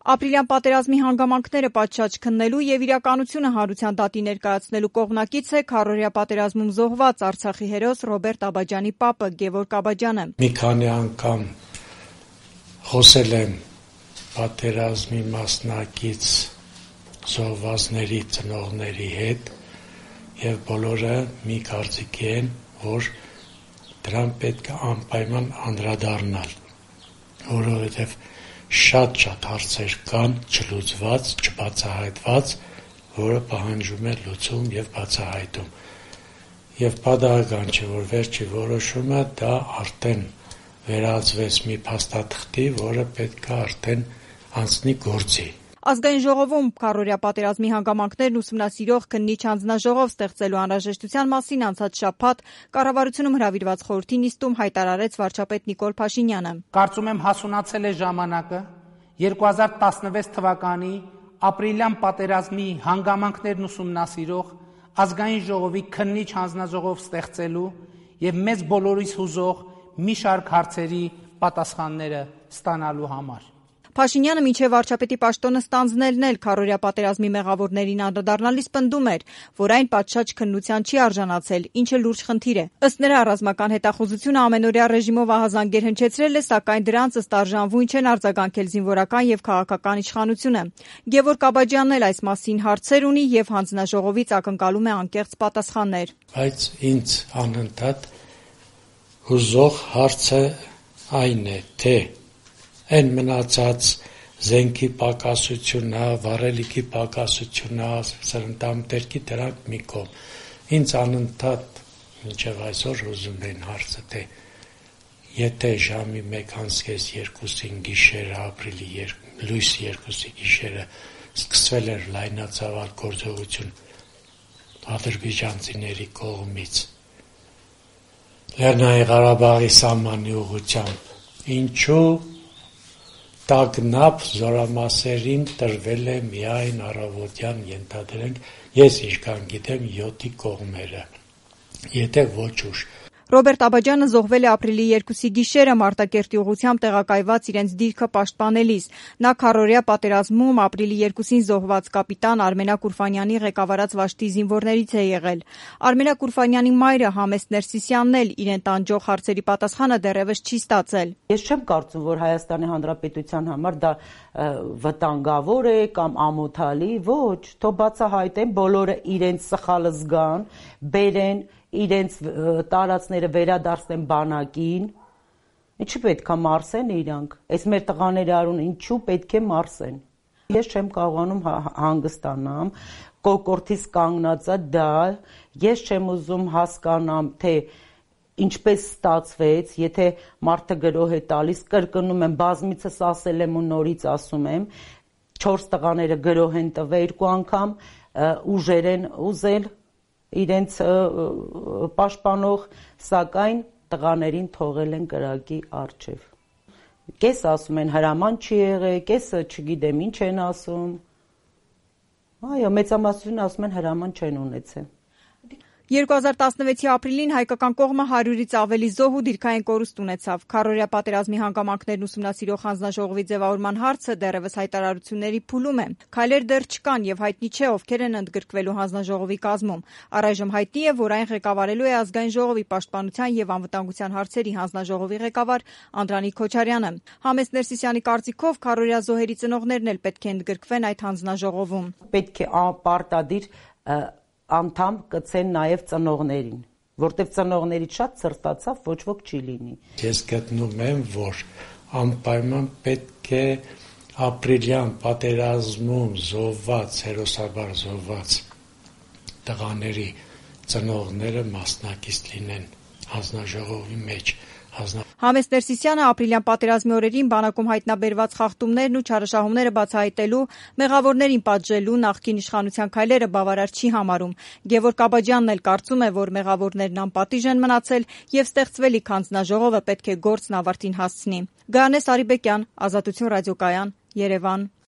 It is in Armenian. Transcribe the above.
Ապրիլյան պատերազմի հանգամանքները պատշաճ քննելու եւ իրականությունը հանրության դատի ներկայացնելու կողմնակից է քառօրյա պատերազմում զոհված Արցախի հերոս Ռոբերտ Աբաջյանի պապը Գևորգ Աբաջյանը։ Մի քանի անգամ խոսել եմ պատերազմի մասնակից զոհվածների ծնողների հետ եւ բոլորը մի կարծիքի են, որ դրան պետք է անպայման անդրադառնալ, որովհետեւ շատ հարցեր կան չլուծված, չբացահայտված, որը պահանջում է լուծում եւ բացահայտում։ Եվ պատահական չէ, որ վերջի որոշումը դա արդեն վերածվեց մի փաստաթղթի, որը պետք է արդեն անցնի գործի։ Ազգային ժողովում քառօրյա պատերազմի հանգամանքներն ուսումնասիրող քննիչ հանձնաժողով ստեղծելու անհրաժեշտության մասին անցած շաբաթ կառավարությունում հրավիրված խորհրդի նիստում հայտարարեց վարչապետ Նիկոլ Փաշինյանը։ Կարծում եմ հասունացել է ժամանակը 2016 թվականի ապրիլյան պատերազմի հանգամանքներն ուսումնասիրող ազգային ժողովի քննիչ հանձնաժողով ստեղծելու եւ մեզ բոլորիս հուզող մի շարք հարցերի պատասխանները ստանալու համար։ Փաշինյանը մինչև վարչապետի պաշտոնը ստանձնելն էլ քառօրյա պատերազմի մեղավորներին անդրադառնալիս պնդում էր, որ այն պատշաճ քննության չի արժանացել, ինչը լուրջ խնդիր է։ Ըստ նրա, ռազմական հետախուզությունը ամենօրյա ռեժիմով ահազանգեր հնչեցրել է, սակայն դրանց ըստ արժանվույն չեն արձագանքել զինվորական եւ քաղաքական իշխանությունը։ Գևորգ Աբաջյանն էլ այս մասին հարցեր ունի եւ հանձնաժողովից ակնկալում է անկեղծ պատասխաններ։ Բայց ինձ անընդհատ հուզող հարցը այն է, թե այն մնացած զենքի պակասությունը, վառելիքի պակասությունը, սրընթամտերքի դրանք մի կողմ։ Ինձ անընդհատ մինչև այսօր ուզում են հարցը, թե եթե ժամի 1:30-2-ին գիշերը, ապրիլի լույս 2-ի գիշերը սկսվել էր լայնածավալ գործողություն ադրբեջանցիների կողմից Լեռնային Ղարաբաղի սահմանի ուղղությամբ, ինչու տագնապ զորամասերին տրվել է միայն առավոտյան, ենթադրենք, ես ինչքան գիտեմ 7-ի կողմերը, եթե ոչ ուշ։ Ռոբերտ Աբաջյանը զոհվել է ապրիլի 2-ի գիշերը Մարտակերտի ուղղությամբ տեղակայված իրենց դիրքը պաշտպանելիս։ Նա քառօրյա պատերազմում ապրիլի 2-ին զոհված կապիտան Արմենակ Ուրֆանյանի ղեկավարած վաշտի զինվորներից է եղել։ Արմենակ Ուրֆանյանի մայրը Համեստ Ներսիսյանն էլ իրեն տանջող հարցերի պատասխանը դեռևս չի ստացել։ Ես չեմ կարծում, որ Հայաստանի Հանրապետության համար դա վտանգավոր է կամ ամոթալի, ոչ, թող բացահայտեն, բոլորը իրենց սխալը զգան, բերեն իրենց տարածները վերադարձնեն բանակին, ինչու պետք է մարսեն իրանք, այս մեր տղաների արուն ինչու պետք է մարսեն։ Ես չեմ կարողանում հանգստանամ, կոկորդիս կանգնածա դա, ես չեմ ուզում հասկանամ, թե ինչպես ստացվեց, եթե մարդը գրոհ է տալիս, կրկնում եմ, բազմիցս ասել եմ ու նորից ասում եմ, 4 տղաները գրոհ են տվել 2 անգամ, ուժեր են ուզել իրենց պաշտպանող, սակայն տղաներին թողել են կրակի առջև։ Կես ասում են հրաման չի եղել, կեսը չգիտեմ ինչ են ասում։ Այո, մեծամասնությունը ասում են հրաման չեն ունեցել։ 2016-ի ապրիլին հայկական կողմը 100-ից ավելի զոհ ու դիրքային կորուստ ունեցավ։ Քառօրյա պատերազմի հանգամանքներն ուսումնասիրող հանձնաժողովի ձևավորման հարցը դեռևս հայտարարությունների փուլում է։ Քայլեր դեռ չկան եւ հայտնի չէ ովքեր են ընդգրկվելու հանձնաժողովի կազմում։ Առայժմ հայտնի է, որ այն ղեկավարելու է ազգային ժողովի պաշտպանության եւ անվտանգության հարցերի հանձնաժողովի ղեկավար Անդրանիկ Քոչարյանը։ Համեստ Ներսիսյանի կարծիքով քառօրյա զոհերի ծնողներն էլ պետք է ընդգրկվեն այդ հանձնաժողովում։ Պետք է պարտադիր անդամ կցեն նաև ծնողներին, որտեվ ծնողներից շատ սրտացավ ոչ ոք չի լինի։ Ես գտնում եմ, որ անպայման պետք է ապրիլյան պատերազմում զոհված, հերոսաբար զոհված տղաների ծնողները մասնակից լինեն հանձնաժողովի մեջ։ Համեստ Ներսիսյանը ապրիլյան պատերազմի օրերին բանակում հայտնաբերված խախտումներն ու չարաշահումները բացահայտելու, մեղավորներին պատժելու նախկին իշխանության քայլերը բավարար չի համարում։ Գևորգ Աբաջյանն էլ կարծում է, որ մեղավորներն անպատիժ են մնացել եւ ստեղծվելիք հանձնաժողովը պետք է գործն ավարտին հասցնի։ Գայանե Սարիբեկյան, Ազատություն ռադիոկայան, Երևան։